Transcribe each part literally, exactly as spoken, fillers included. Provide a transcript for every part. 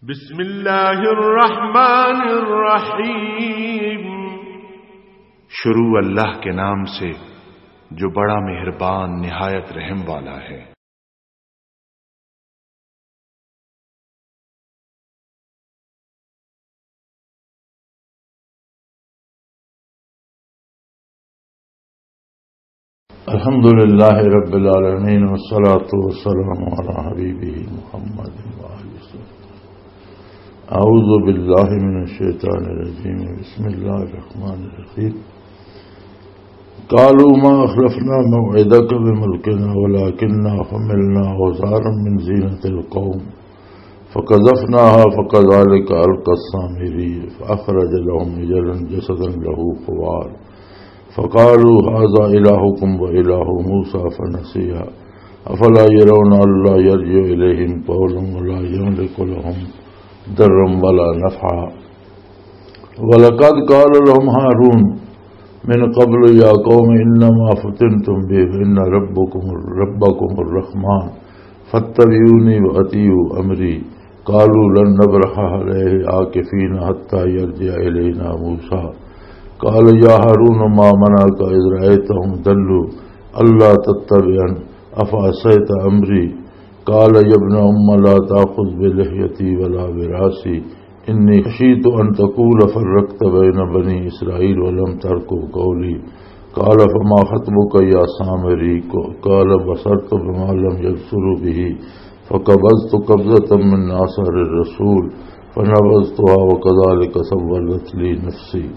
بسم اللہ الرحمن الرحیم۔ شروع اللہ کے نام سے جو بڑا مہربان نہایت رحم والا ہے۔ الحمد لله رب العالمين، والصلاة والسلام على حبيبه محمد وآله وسلم. أعوذ بالله من الشيطان الرجيم. بسم الله الرحمن الرحيم. قالوا ما أخلفنا موعدك بملكنا ولكننا حملنا أوزارا من زينة القوم فقذفناها فكذلك ألقى السامري فأخرج لهم عجلا جسدا له خوار فقالوا هذا إلهكم وإله موسى فنسي أفلا يرون ألا يرجع إليهم قولا ولا يملك لهم ضرا ولا نفعا. ولقد قال لهم هارون من قبل يا قوم إنما فتنتم به فإن ربكم، ربكم الرحمن فاتبعوني وأطيعوا أمري. قالوا لن نبرح عليه عاكفين حتى يرجع إلينا موسى. قال يا هارون ما منعك إذ رأيتهم ضلوا ألا تتبعن أفعصيت أمري؟ قال يا ابن أم لا تأخذ بلحيتي ولا برأسي إني خشيت أن تقول فرقت بين بني إسرائيل ولم ترقب قولي. قال فما خطبك يا سامري؟ قال بصرت بما لم يبصروا به فقبضت قبضة من أثر الرسول فنبذتها وكذلك سولت لي نفسي.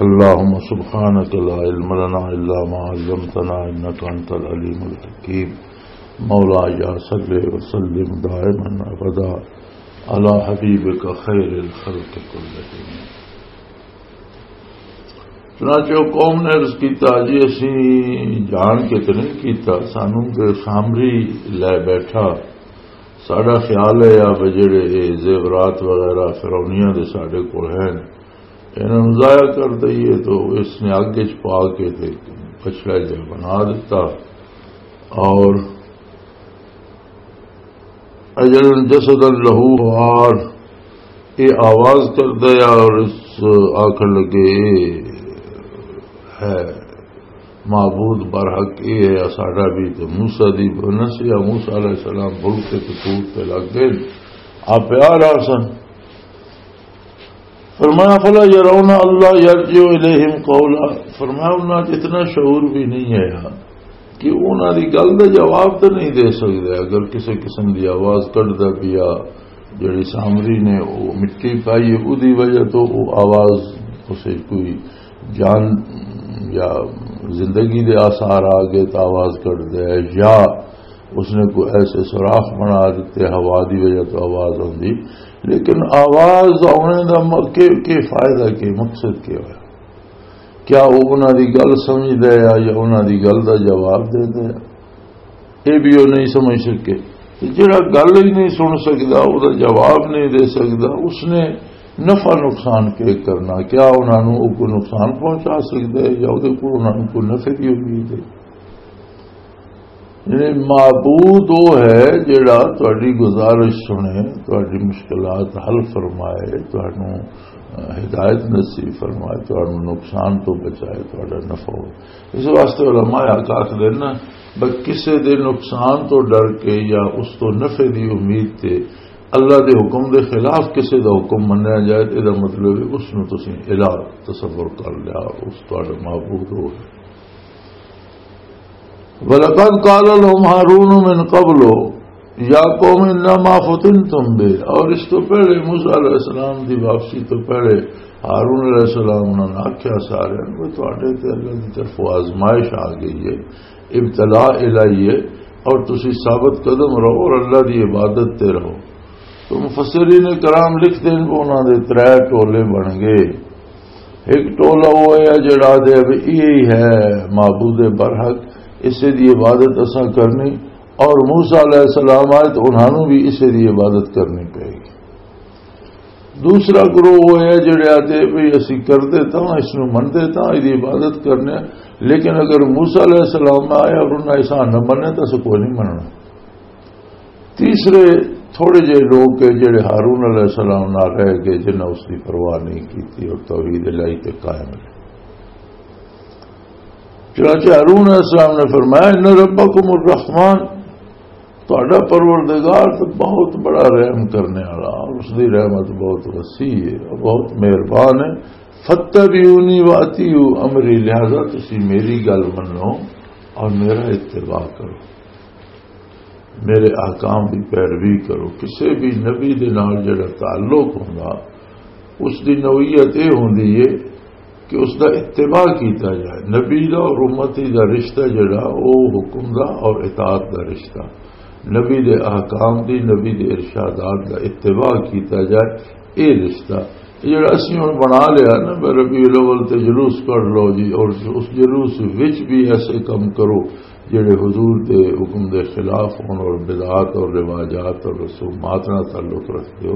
اللهم سبحانك لا علم لنا إلا ما علمتنا إنك أنت العليم الحكيم. مولاي صل وسلم دائما أبدا على حبيبك خير الخلق كلهم. چنانچہ وہ قوم نے عرض کیتا، جی اسی جان کے تو نہیں کیتا، سانوں تے سامری لے بیٹھا۔ ساڈا خیال ہے یا بھی جڑے یہ زیورات وغیرہ فرعونیاں دے ساڈے کول ہیں، انہاں نوں ضائع کر دئیے۔ تو اس نے اگ وچ پا کے تے کچرا جہا بنا دتا۔ اور اجل جسدا لہو خوار، یہ آواز کردا ہے اور اس آکھن لگے، یہ ہے معبود برحق، یہ ہے ساڈا بھی تے موسیٰ دی بنس۔ یا موسیٰ علیہ السلام بھول کے تے ٹوٹ تے لگ گئے، آپ پیار آ سن۔ فرمایا، فلا يرون الله يرجع إليهم قولا۔ فرمایا، انہاں 'چ اتنا شعور بھی نہیں آیا کہ انہاں دی گل دا جواب تے نہیں دے سکدے۔ اگر کسے قسم دی آواز کڈدا پیا، جڑی سامری نے او مٹی پائی ہے، اودی وجہ تو او آواز اسے کوئی جان یا زندگی دے آثار آ گئے تو آواز کڈدا ہے، یا اس نے کوئی ایسے سوراخ بنا دیتے، ہوا دی وجہ تو آواز آندی۔ لیکن آواز آنے دا م-، کے، کے فائدہ، کے مقصد کے ہویا؟ کیا وہ انہاں دی گل سمجھدا ہے یا انہاں دی گل دا جواب دیندا ہے؟ یہ بھی وہ نہیں سمجھ سکے۔ تے جڑا گل ہی نہیں سن سکدا، وہ دا جواب نہیں دے سکدا، اس نے نفع نقصان کے کرنا؟ کیا انہاں نوں وہ کوئی نقصان پہنچا سکدا ہے یا وہ دے کول انہاں نوں کوئی نفع دی امید ہے؟ یعنی معبود وہ ہے جڑا تہاڈی گزارش سنے، تہاڈی مشکلات حل فرمائے، تہانوں ہدایت نصیب فرمائے، تہانوں نقصان تو بچائے، تہاڈا نفع ہو۔ اس واسطے علماء حق آکھدے نا، بس کسے دے نقصان تو ڈر کے یا اس تو نفع دی امید تے اللہ دے حکم دے خلاف کسے دا حکم منیا جائے تے دا مطلب ہے اس نوں تسیں الہ تصور کر لیا، اس تہاڈا معبود ہو گیا۔ وَلَقَدْ قَالَ لَهُمْ هَارُونُ مِنْ قَبْلُ يَا قَوْمِ إِنَّمَا فُتِنْتُمْ بِهِ۔ اور اس تو پہلے، موسیٰ علیہ السلام دی واپسی تو پہلے، ہارون علیہ السلام انہوں نے آکھیا سارے، "وہ تہاڈے تے اللہ دی طرفوں آزمائش آ گئی ہے، ابتلا الہی ہے، اور تسی ثابت قدم رہو اور اللہ دی عبادت تے رہو۔" تو مفسرین کرام لکھتے ہیں کہ انہاں دے ترے ٹولے بن گئے۔ ایک ٹولا وہ ہے جڑا دے بھی یہی ہے معبود برحق، اسے دی عبادت اساں کرنی، اور موسیٰ علیہ السلام آئے تو انہاں نوں بھی اسے دی عبادت کرنی پے گی۔ دوسرا گروہ وہ ہے جڑے آتے بھی اسی کر دیتا ہوں، اس نوں من دیتا ہوں، اس دی عبادت کرنے، لیکن اگر موسیٰ علیہ السلام آئے اور انہاں ایسا نہ بنے تو اسے کوئی نہیں مننا۔ تیسرے تھوڑے جہے لوگ کہ جڑے ہارون علیہ السلام نال رہ گئے، جنہاں اس کی پرواہ نہیں کی اور توحید الہی تے قائم رہے۔ چنانچہ ہارون علیہ السلام نے فرمایا، "ان ربکم الرحمن"، تہاڈا پروردگار تو بہت بڑا رحم کرنے والا، اور اس دی رحمت بہت وسیع ہے اور بہت مہربان ہے۔ "فاتبعونی واطیعوا امری"، لہذا تسی میری گل منو اور میرا اتباع کرو، میرے احکام دی پیروی کرو۔ کسے بھی نبی دے نال جڑا تعلق ہوندا، اس دی نوعیت یہ ہوندی ہے کہ اس دا اتباع کیتا جائے۔ نبی دا اور امتی دا رشتہ جڑا، او حکم دا اور اطاعت دا رشتہ، نبی دے احکام دی، نبی دے ارشادات دا اتباع کیتا جائے۔ اے رشتہ، اے جڑا اسی ہن بنا لیا نا، بھئی ربیع الاول تے جلوس کر لو جی، اور اس جلوس وچ بھی ایسے کم کرو جڑے حضور دے حکم دے خلاف ہون اور بدعات اور رواجات اور رسومات نال تعلق رکھتے ہو،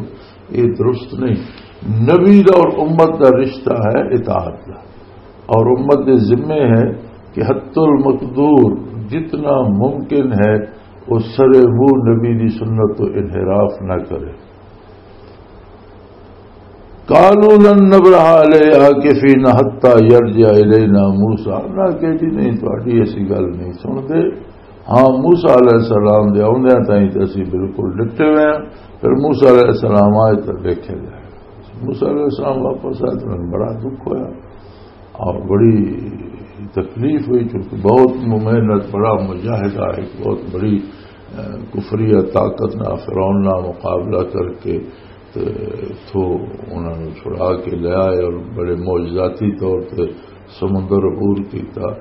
یہ درست نہیں۔ نبی دا اور امت دا رشتہ ہے اطاعت دا، اور امت دے ذمے ہے کہ حتی المقدور، جتنا ممکن ہے، وہ سرے منہ نبی دی سنت تو انحراف نہ کرے۔ "قالوا لن نبرح علیہ عاکفین حتی یرجع الینا موسی"، نہ کہ جی نہیں، تہاڈی ایسی گل نہیں سنتے۔ ہاں، موسی علیہ السلام دے آوندیاں تائیں تے اسی بالکل ڈٹے ہوئے ہیں، پھر موسی علیہ السلام آئے تو دیکھے جائے۔ موسی علیہ السلام واپس آئے تو انہیں بڑا دکھ ہویا اور بڑی تکلیف ہوئی، چونکہ بہت محنت، بڑا مجاہدہ، ایک بہت بڑی، اہ، کفریہ طاقت نہ، فرعون نہ مقابلہ کر کے تے تو انہاں نوں چھڑا کے لے آئے اور بڑے معجزاتی طور تے سمندر عبور کیتا،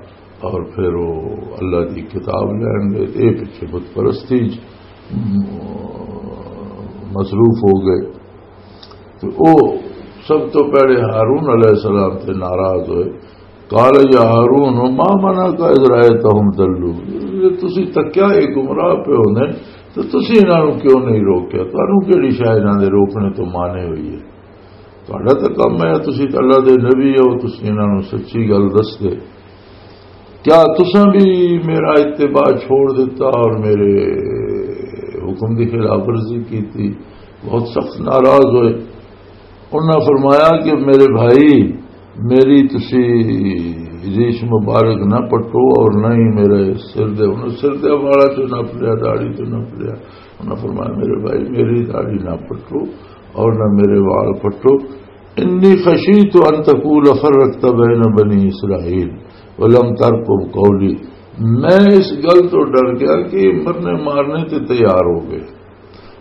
اور پھر وہ اللہ دی کتاب لین گئے تے اے پچھے بت پرستی چ مصروف ہو گئے۔ تو او سب تو پہلے ہارون علیہ السلام تے ناراض ہوئے۔ "قال یا ہارون ما منعک اذ رأیتہم ضلوا"، تسی تکیا اے گمراہ پے ہوندے، تو تسی انہاں نوں کیوں نہیں روکیا؟ تانوں کیڑی شے انہاں دے روکنے تو مانے ہوئی ہے؟ تہاڈا تاں کم ہے، تسی تاں اللہ دے نبی ہو، تسی انہاں نوں سچی گل دس دے۔ کیا تساں بھی میرا اتباع چھوڑ دیتا اور میرے حکم دی خلاف ورزی کی تھی؟ بہت سخت ناراض ہوئے۔ انہاں فرمایا کہ میرے بھائی، میری تسی ریش مبارک نہ پٹو اور نہ ہی میرے سر دے، انہاں سر دے والا تو نپ لیا، داڑھی تو نپ لیا۔ انہاں فرمایا، میرے بھائی، میری داڑھی نہ پٹو اور نہ میرے وال پٹو۔ "انی خشیت ان تقول فرقت بین بنی اسرائیل ولم ترقب قولی"، میں اس گل تو ڈر گیا کہ یہ مرنے مارنے تے تیار ہو گئے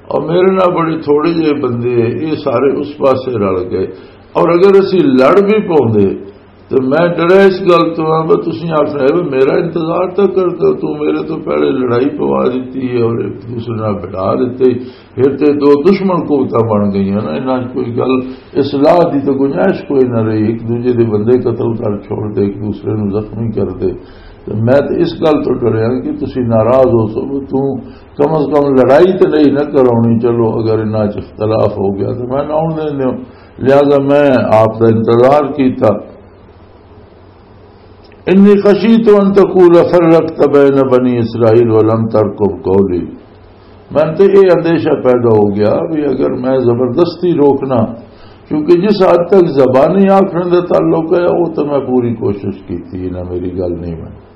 اور میرے نال بڑے تھوڑے جے بندے، یہ سارے اس پاسے رل گئے، اور اگر اسی لڑ بھی پاؤندے تو میں ڈریا اس گل تو ہاں، بس تسی آخنا ہے، بس میرا انتظار تو کر دو، تو میرے تو پہلے لڑائی پوا دیتی ہے اور ایک دوسرے نال بٹھا دیتے، پھر تے دو دشمن قوتاں بن گئیاں نا، انہاں 'چ کوئی گل اصلاح دی تو گنجائش کوئی نہ رہی، ایک دوجے دے بندے قتل کر چھوڑ دے، ایک دوسرے نوں زخمی کر دے۔ تے میں تے اس گل تو ڈریا کہ تسی ناراض ہو سو، تو کم از کم لڑائی تے نہیں نہ کرونی، چلو اگر انہاں 'چ اختلاف ہو گیا تو میں نہ آن دیندے ہو، لہذا میں آپ دا انتظار کیتا۔ انی خشیت ان تقول فرقت بین بنی اسرائیل ولم ترقب قولی۔ میں تے یہ اندیشہ پیدا ہو گیا بھی اگر میں زبردستی روکنا، کیونکہ جس حد تک زبانی آخر دا تعلق ہے، وہ تو میں پوری کوشش کی تھی، نہ میری گل نہیں بنی۔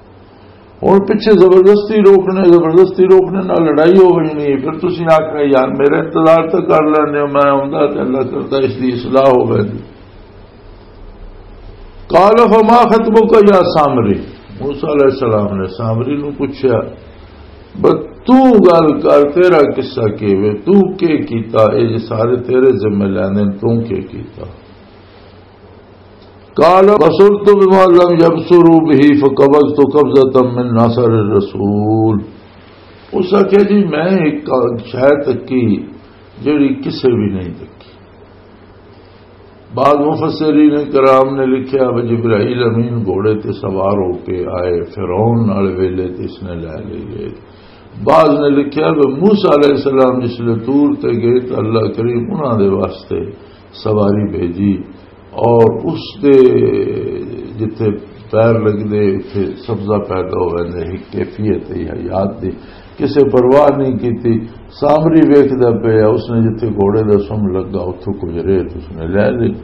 ہن پچھے زبردستی روکنے، زبردستی روکنے نال لڑائی ہو وجنی ہے، پھر تسی آکھنا، "یار، میرا انتظار تو کر لیندے ہو، میں آوندا تے اللہ کردا اس دی اصلاح ہو ویندی۔" قال فما خطبک یا سامری، موسیٰ علیہ السلام نے سامری نو پوچھا، "بس تو گل کر، تیرا قصہ کی وے، تو کی کیتا؟ اے جے سارے تیرے ذمے لیندے نے، تو کی کیتا؟" قال بصرت بما لم يبصروا به فقبضت قبضة من اثر الرسول۔ اس آخیا، "جی، میں ایک شاید تکی جڑی کسے بھی نہیں تکی۔" بعض مفسرین کرام نے لکھیا، "وہ جبرائیل امین گھوڑے تے سوار ہو کے آئے، فرعون نال ویلے تے اس نے لے لے گئے۔" بعض نے لکھیا کہ موسیٰ علیہ السلام جس لے طور تے گئے تو اللہ کریم انہاں دے واسطے سواری بھیجی، اور اس دے جتھے پیر لگدے، اتھے سبزہ پیدا ہو ویندے، ایک کیفیت ہے حیات دی۔ کسے پرواہ نہیں کیتی۔ سامری ویکھدا پیا، اس نے جتھے گھوڑے دا سم لگا، اتھوں کچھ ریت اس نے لے لی۔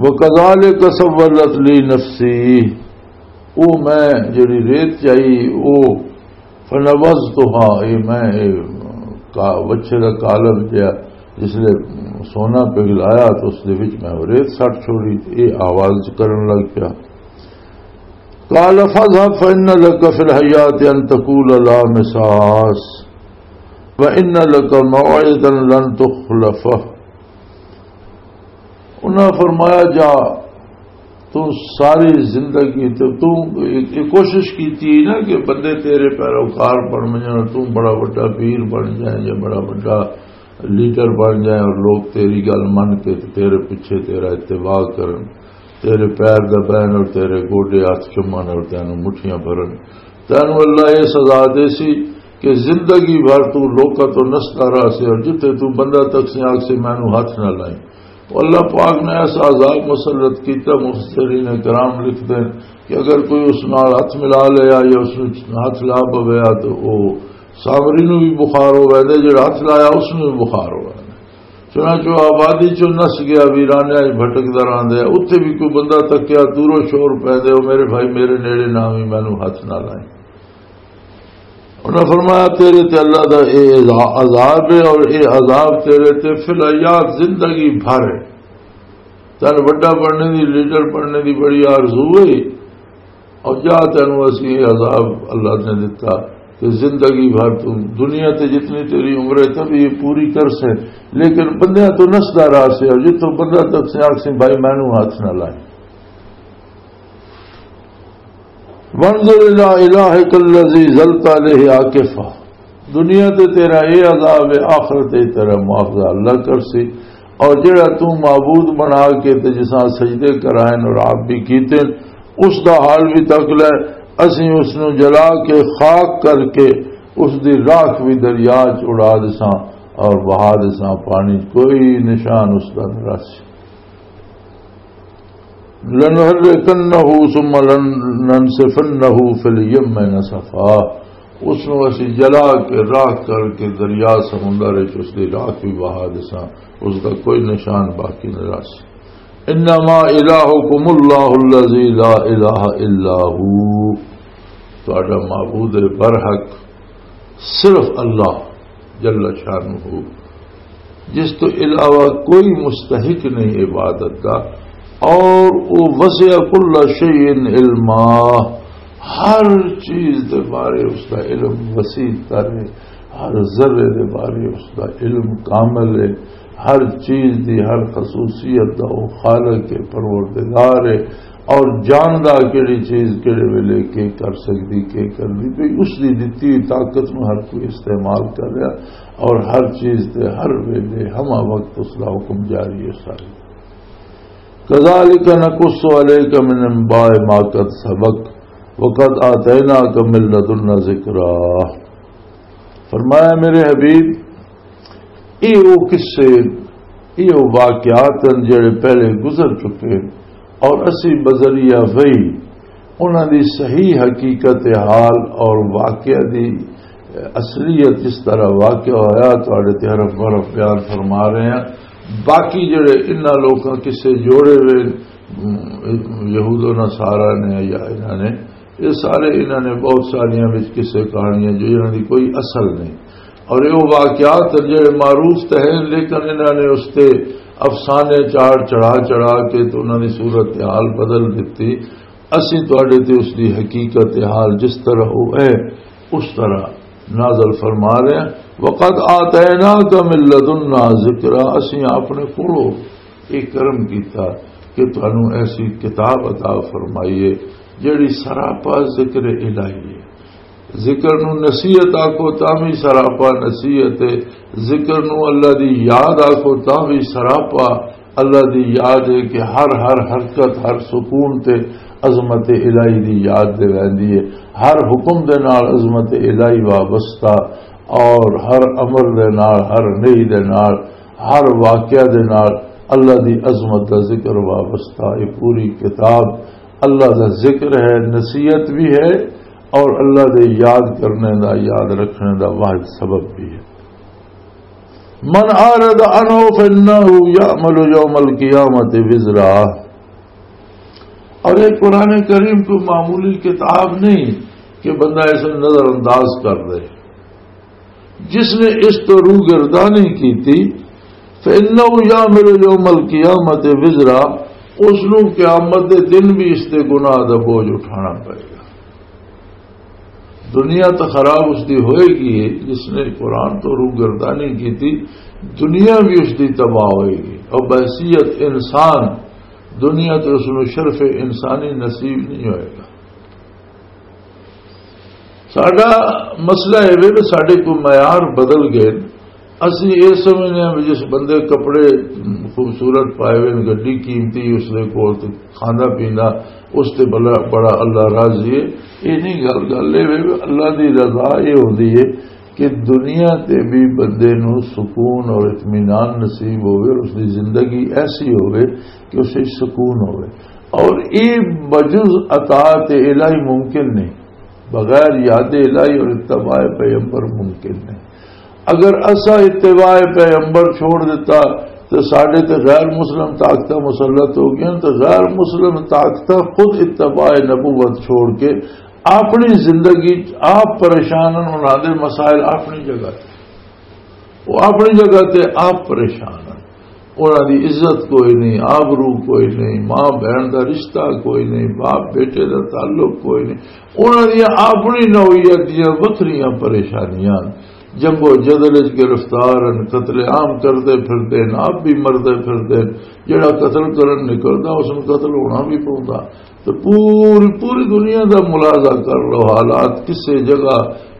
وَكَذَلِكَ سَوَّلَتْ لِي نَفْسِي، او میں جڑی ریت چائی، او فَنَبَذْتُهَا، اے میں، اے کا-، وچھے دا کالب جیا، جس لے سونا پگھلایا تو اس دے وچ میں او ریت سٹ چھوڑی، تے اے آواز کرن لگ پیا۔ قال فاذهب فإن لك في الحياة أن تقول لا مساس وإن لك موعدا لن تخلفه۔ انہاں فرمایا، جا، تو ساری زندگی تو، تو یہ کوشش کیتی نا کہ بندے تیرے پیروکار بن جان، تو بڑا بڑا پیر بن جائے یا بڑا بڑا لیڈر بن جائیں اور لوگ تیری گل من کے تے تیرے پیچھے تیرا اتباع کرن، تیرے پیر دبائن اور تیرے گوڈے ہاتھ چومن اور تینوں مٹھیاں بھرن، تینوں اللہ یہ سزا دے سی کہ زندگی بھر تو لوکاں تو نسدا رہ سی اور جتھے تو بندہ تک سی آگ سی مینوں ہاتھ نہ لائیں۔ تو اللہ پاک نے ایسا عذاب مسلط کیتا، مفسرین کرام لکھتے ہیں کہ اگر کوئی اس نال ہاتھ ملا لیا یا اس نوں ہاتھ لا پویا تو وہ سامری نوں بھی بخار ہو ویندے، جڑا ہاتھ لایا اس نوں بھی بخار ہو ویندے۔ چنانچہ وہ آبادی چوں نس گیا، ویرانے وچ بھٹکدا رہندا ہے۔ اتھے بھی کوئی بندہ تکیا، دوروں شور پے دے، "او میرے بھائی، میرے نیڑے نہ آویں، مینوں ہاتھ نہ لائیں۔" انہاں فرمایا، "تیرے تے اللہ دا اے عذا-، عذاب ہے اور اے عذاب تیرے تے فی الحیات زندگی بھر ہے۔" تن وڈا بننے دی، لیڈر بننے دی بڑی آرزو ہے، اور جا تینوں اسی یہ عذاب اللہ نے دتا کہ زندگی بھر تو دنیا تے جتنی تیری عمر ہے تب یہ پوری کر سے، لیکن بندیاں تو نسدا رہا سے، اور جتوں بندہ تک سے آکھ سے، "بھائی، مینوں ہاتھ نہ لائے۔" وانظر الی الہک الذی ظلت علیہ عاکفا، دنیا تے تیرا اے عذاب ہے، آخرت تے تیرا معاوضہ اللہ کرسی۔ اور جڑا تو معبود بنا کے تے جساں سجدے کرائن اور آپ بھی کیتے، اس دا حال بھی تک لے۔ اسیں اس نو جلا کے خاک کر کے اس دی راکھ بھی دریا چ اڑا دساں اور بہا دساں پانی، کوئی نشان اس دا نہ رہسی۔ لَنُحْرِقَنَّهُ ثُمَّ لَنَنْسِفَنَّهُ فِي الْيَمِّ نَسْفًا۔ اس نو اسی جلا کے راکھ کر کے دریا سمندر وچ اس دی راکھ بھی بہا دساں، اس دا کوئی نشان باقی نہ رہسی۔ انما الہکم اللہ الذی لا الہ الا ہو، تہاڈا معبود برحق صرف اللہ جل شانہ، جس تو علاوہ کوئی مستحق نہیں عبادت دا، اور وہ وسع کل شیء علما، ہر چیز دے بارے اس دا علم وسیع تر ہے، ہر ذرے دے بارے اس دا علم کامل ہے، ہر چیز دی ہر خصوصیت دا وہ خالق ہے، پروردگار ہے، اور جاندا کیڑی چیز کیڑے ویلے کے کر سکدی، کے کردی پئی، اس دی دتی ہوئی طاقت نو ہر کوئی استعمال کر رہا، اور ہر چیز تے ہر ویلے ہما وقت اس دا حکم جاری ہے ساری۔ کذالک نقص علیک من انباء ما قد سبق وقد آتیناک من لدنا ذکرا۔ فرمایا میرے حبیب، یہ وہ قصے، یہ وہ واقعات ہیں جڑے پہلے گزر چکے، اور اسی بذریعہ وحی انہاں دی صحیح حقیقت حال اور واقعہ دی اصلیت، جس طرح واقعہ ہویا، تہاڈے تے حرف برف بیان فرما رہے ہیں۔ باقی جڑے انہاں لوکاں قصے جوڑے ہوئے، یہود و نصارہ نے یا انہاں نے، یہ سارے انہاں نے بہت ساریاں وچ قصے کہانیاں جو انہاں دی کوئی اصل نہیں، اور یہ واقعات جڑے معروف تے ہیں، لیکن انہاں نے اس تے افسانے چاڑ چڑھا چڑھا کے تو انہاں دی صورت حال بدل دتی۔ اسیں تہاڈے تے اس دی حقیقت حال جس طرح وہ ہے، اس طرح نازل فرما رہے ہیں۔ وقد آتیناک من لدنا ذکرا، اسیں اپنے کولوں یہ کرم کیتا کہ تانوں ایسی کتاب عطا فرمائی ہے جڑی سراپا ذکر الہی ہے۔ ذکر نو نصیحت آکھو تاں وی سراپا نصیحت ہے، ذکر نو اللہ دی یاد آکھو تاں وی سراپا اللہ دی یاد ہے کہ ہر، ہر حرکت، ہر سکون تے عظمت الہی دی یاد دے ویندی ہے۔ ہر حکم دے نال عظمت الہی وابستہ، اور ہر امر دے نال، ہر نہی دے نال، ہر واقعہ دے نال اللہ دی عظمت دا ذکر وابستہ۔ یہ پوری کتاب اللہ دا ذکر ہے، نصیحت بھی ہے، اور اللہ دے یاد کرنے دا، یاد رکھنے دا واحد سبب بھی ہے۔ من اعرض عنہ فانہ یعمل یوم القیامت وزرا۔ اور یہ قرآن کریم کوئی معمولی کتاب نہیں کہ بندہ اسے نظر انداز کر دے۔ جس نے اس تو روگردانی کی تھی، فإنہ یعمل یوم القیامت وزرا، اس نو قیامت دے دن بھی اس دے گناہ دا بوجھ اٹھانا پائے گا۔ دنیا تو خراب اس دی ہوئے گی، جس نے قرآن تو روگردانی کی تھی، دنیا بھی اس دی تباہ ہوئے گی۔ اور بحیثیت انسان دنیا تے اس نو شرف انسانی نصیب نہیں ہوئے گا۔ ساڈا مسئلہ یہ وے کہ ساڈے کوئی معیار بدل گئے۔ اسی یہ سمجھنے ہیں بھی جس بندے کپڑے خوبصورت پائے ہوئے، گڈی قیمتی، اس دے کول تے کھاندا پیندا، اس تے بڑا، بڑا اللہ راضی ہے۔ یہ نہیں گل، گل یہ وے کہ اللہ دی رضا یہ ہوندی ہے کہ دنیا تے بھی بندے نو سکون اور اطمینان نصیب ہوئے اور اس دی زندگی ایسی ہوئے کہ اسے سکون ہوئے۔ اور یہ بجز اطاعت الہی ممکن نہیں، بغیر یاد الہی اور اتباع پیغمبر ممکن نہیں۔ اگر اسا اتباع پیغمبر چھوڑ دیتا تو ساڈے تے غیر مسلم طاقتاں مسلط ہو گئیں، تو غیر مسلم طاقتاں خود اتباع نبوت چھوڑ کے اپنی زندگی چ آپ پریشان ہیں، انہاں دے مسائل اپنی جگہ تے، وہ اپنی جگہ تے آپ پریشان ہیں۔ انہاں دی عزت کوئی نہیں، آبرو کوئی نہیں، ماں بہن دا رشتہ کوئی نہیں، باپ بیٹے دا تعلق کوئی نہیں۔ انہاں دیاں اپنی نوعیت دیاں وکھریاں پریشانیاں، جنگ و جدل وچ گرفتار ہیں، قتل عام کردے پھردے ہیں، آپ بھی مردے پھردے ہیں۔ جڑا قتل کرن نکلدا، اس نوں قتل ہونا بھی پوندا۔ تو پوری، پوری دنیا دا ملاحظہ کر لو، حالات کسے جگہ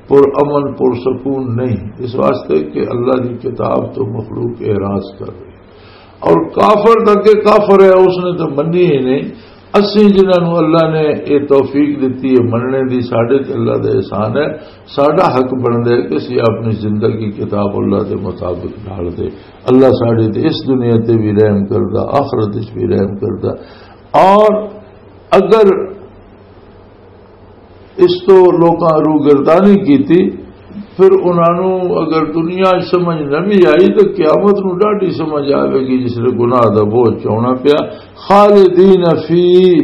پر امن، پر سکون نہیں، اس واسطے کہ اللہ دی کتاب تو مخلوق اعراض کر رہی۔ اور کافر تک کہ کافر ہے، اس نے تو منی ہی نہیں۔ اسی جنہاں نوں اللہ نے یہ توفیق دتی ہے مننے دی، ساڈے تے اللہ دا احسان ہے۔ ساڈا حق بندا ہے کہ اسی اپنی زندگی کتاب اللہ دے مطابق ڈال دے۔ اللہ ساڈے تے اس دنیا تے بھی رحم کردا، آخرت وچ بھی رحم کردا۔ اور اگر اس تو لوکاں روگردانی کیتی، پھر انہاں نوں اگر دنیا وچ سمجھ نہ بھی آئی تو قیامت نوں ڈاڈی سمجھ آوے گی، جس نے گناہ دا بوجھ چاونا پیا۔ خالدین فی،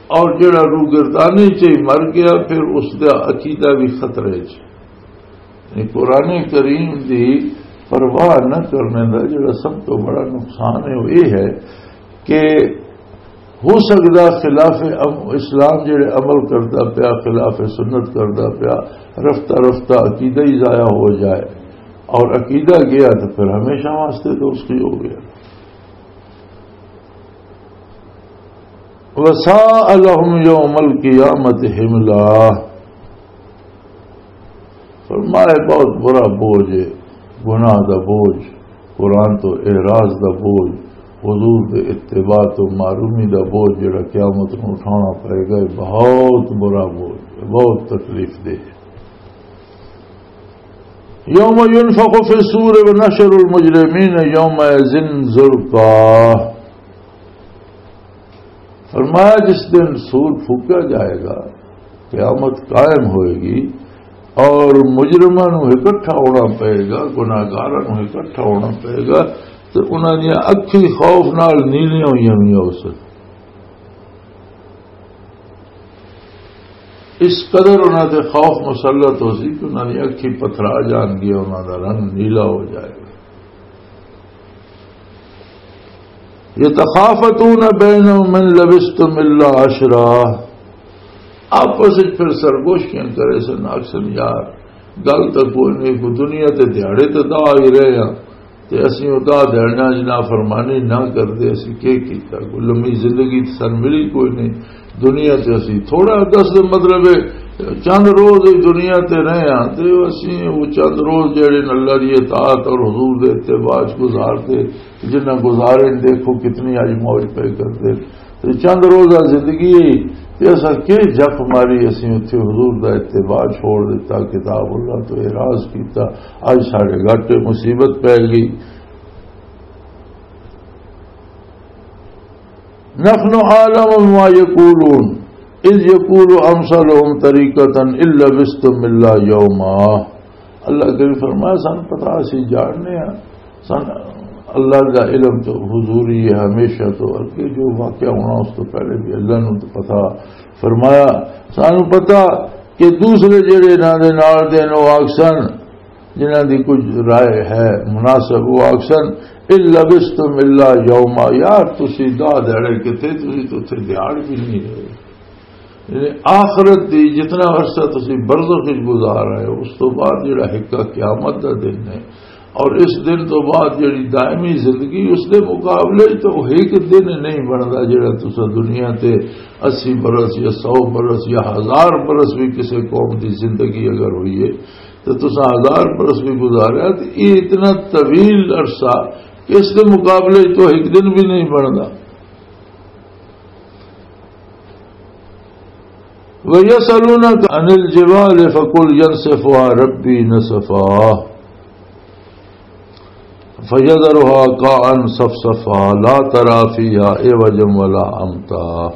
اور جڑا روگردانی چ ہی مر گیا، پھر اس دا عقیدہ بھی خطرے چ۔ یعنی قرآن کریم دی پرواہ نہ کرنے دا جڑا سب تو بڑا نقصان ہے، وہ یہ ہے کہ ہو سکدا خلاف ام-، اسلام جڑے عمل کردا پیا، خلاف سنت کردا پیا، رفتہ رفتہ عقیدہ ہی ضائع ہو جائے، اور عقیدہ گیا تو پھر ہمیشہ واسطے تو اس کی ہو گیا۔ وساء لهم يوم القيامة حملا۔ فرمایا، بہت برا بوجھ ہے، گناہ دا بوجھ، قرآن تو اعراض دا بوجھ، حضور دے اتباع تو محرومی دا بوجھ جڑا قیامت نوں اٹھانا پائے گا، یہ بہت برا بوجھ ہے، بہت تکلیف دہ ہے۔ یوم ینفخ فی الصور ونحشر المجرمین یومئذ زرقا۔ فرمایا، جس دن سور پھونکا جائے گا، قیامت قائم ہوئے گی اور مجرماں نوں اکٹھا ہونا پئے گا، گناہگاراں نوں اکٹھا ہونا پئے گا، تے انہاں دیاں اکھیں خوف نال نیلیاں ہوئیاں ہوئیاں ہو سن۔ اس قدر انہاں تے خوف مسلط ہو سی کہ انہاں دی اکھیں پتھرا جان گیا، انہاں دا رنگ نیلا ہو جائے گا۔ یتخافتون بینہم ان لبثتم الا عشرا۔ آپس وچ پھر سرگوشیاں کرے سن، آکھ سن، یار، گل تاں کوئی نہیں، کوئی دنیا تے دیہاڑے تے دا ہی رہے ہاں، تے اسی او دا دیہاڑیاں وچ نافرمانی نہ کردے، اسی کی کیتا؟ کوئی لمبی زندگی تے سن ملی کوئی نہیں۔ دنیا تے اسی تھوڑا، دس دے مطلب ہے، چند روز ہی دنیا تے رہے ہاں، تے اسی وہ چند روز جڑے نے اللہ دی اطاعت اور حضور دے اتباع چ گزار دے، جنہ گزارے نے، دیکھو کتنی اج موج پہ کر دے۔ تے چند روزہ زندگی ہے، تے اساں کی جپ ماری، اسی اتھے حضور دا اتباع چھوڑ دیتا، کتاب اللہ تو اعراض کیتا، اج ساڈے گھاٹے مصیبت پہ گئی۔ نحن اعلم بما یقولون اذ یقول امثلهم طریقة ان لبثتم الا یوما۔ اللہ کریم فرمایا، سن پتا، اسی جاننے ہاں، سن اللہ دا علم تو حضوری ہے، ہمیشہ تو، اگے جو واقعہ ہونا اس تو پہلے بھی اللہ نوں تو پتا۔ فرمایا، سانوں پتا کہ دوسرے جڑے انہاں دے نال دے نے، او آکھسن، جنہاں دی کچھ رائے ہے مناسب، او آکھسن، ان لبثتم الا یوما، یار، تسی دہ دیہڑے کتے، تسی تو اتھے دیہڑ بھی نہیں رہے۔ یعنی آخرت دی جتنا عرصہ تسی برزخ وچ گزار رہے ہو، اس تو بعد جڑا حقہ قیامت دا دن ہے، اور اس دن تو بعد جڑی دائمی زندگی، اس دے مقابلے وچ تو ایک دن نہیں بندا، جڑا تسا دنیا تے اسی برس یا سو برس یا ہزار برس بھی کسی قوم دی زندگی اگر ہوئی ہے، تو تسا ہزار برس بھی گزاریا، تو یہ اتنا طویل عرصہ کہ اس دے مقابلے وچ تو ایک دن بھی نہیں بندا۔ وَيَسْأَلُونَكَ عَنِ الْجِبَالِ فَقُلْ يَنْسِفُهَا رَبِّي نَسْفًا فَيَذَرُهَا قَاعًا صَفْصَفًا لَا تَرَىٰ فِيهَا عِوَجًا وَلَا أَمْتًا۔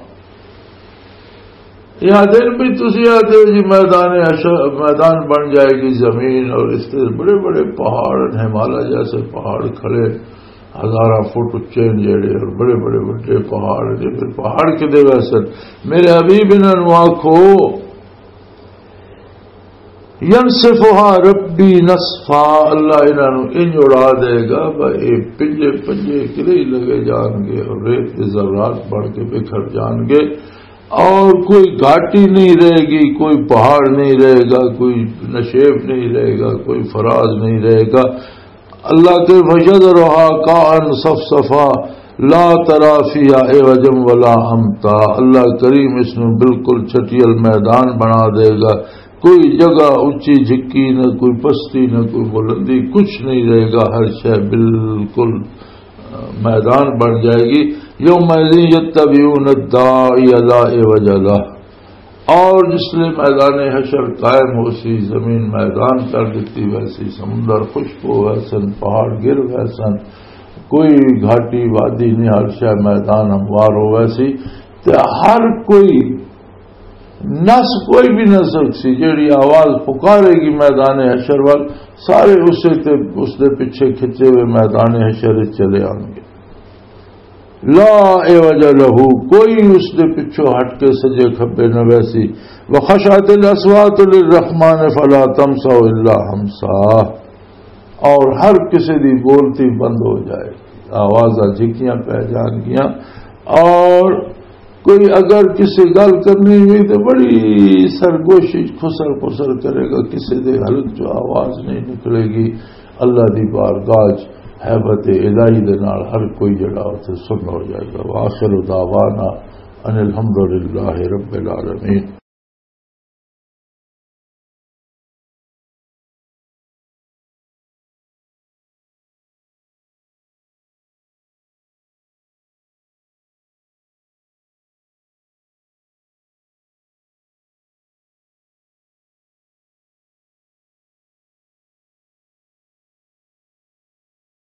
یہ دن بھی تسی آتے ہو جی، میدان حشر، میدان بن جائے گی زمین، اور اس سے بڑے بڑے پہاڑ، ہمالیہ جیسے پہاڑ کھڑے، ہزاراں فٹ اچے ہیں جڑے، اور بڑے بڑے بڑے پہاڑ ہیں۔ پھر پہاڑ کدے ویسے؟ میرے حبیب، انہاں نوں آکھو، "ینسفہا ربی نسفا"، اللہ انہاں نوں انج اڑا دے گا، بھئی اے پنجے پنجے کدے ہی لگے جان گے اور ریت دے ذرات بن کے بکھر جان گے، اور کوئی گھاٹی نہیں رہے گی، کوئی پہاڑ نہیں رہے گا، کوئی نشیب نہیں رہے گا، کوئی فراز نہیں رہے گا۔ اللہ کے فَيَذَرُهَا قَاعًا صَفْصَفًا لَا تَرَىٰ فِيهَا عِوَجًا وَلَا أَمْتًا۔ اللہ کریم اس میں بالکل چھٹیل میدان بنا دے گا، کوئی جگہ اونچی جھکی نہ، کوئی پستی نہ، کوئی بلندی، کچھ نہیں رہے گا، ہر شے بالکل میدان بن جائے گی۔ یومئذ یتبعون الداعی لا عوج لہ، اور جس لئے میدان حشر قائم ہو سی، زمین میدان کر دیتی ویسی، سمندر خشک ہو ویسن، پہاڑ گر ویسن، کوئی گھاٹی وادی نہیں، ہر شے میدان ہموار ہو ویسی، تے ہر کوئی نس کوئی بھی نہ سکسی، جیڑی آواز پکارے گی میدان حشر وال، سارے اسے تے، اس دے پیچھے کھچے ہوئے میدان حشر وچ چلے آن گے۔ لا عوج لہ، کوئی اس دے پچھوں ہٹ کے سجے کھبے نہ ویسی۔ وخشعت الاصوات للرحمن فلا تسمع الا ہمسا، اور ہر کسی دی بولتی بند ہو جائے گی، آوازاں جھکیاں پہ جان گیاں، اور کوئی اگر کسی گل کرنی ہوئی تو بڑی سرگوشی خسر خسر کرے گا، کسی دے حلق چوں آواز نہیں نکلے گی۔ اللہ دی بارگاہ چ ہیبت الہی دے نال ہر کوئی جڑا اتھے سن ہو جائے گا۔ وآخر دعوانا ان الحمدللہ رب العالمین۔